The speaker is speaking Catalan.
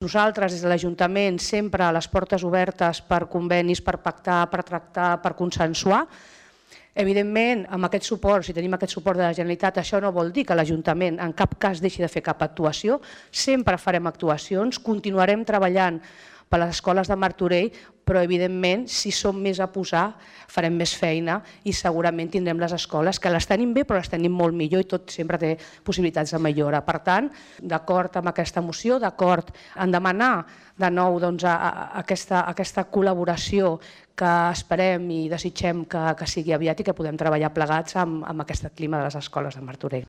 Nosaltres, des de l'Ajuntament, sempre a les portes obertes per convenis, per pactar, per tractar, per consensuar. Evidentment, amb aquest suport, si tenim aquest suport de la Generalitat, això no vol dir que l'Ajuntament en cap cas deixi de fer cap actuació. Sempre farem actuacions, continuarem treballant per les escoles de Martorell, però evidentment, si som més a posar, farem més feina i segurament tindrem les escoles que les tenim bé, però les tenim molt millor i tot sempre té possibilitats de millora. Per tant, d'acord amb aquesta moció, d'acord en demanar de nou aquesta col·laboració que esperem i desitgem que sigui aviat i que podem treballar plegats amb aquest clima de les escoles de Martorell.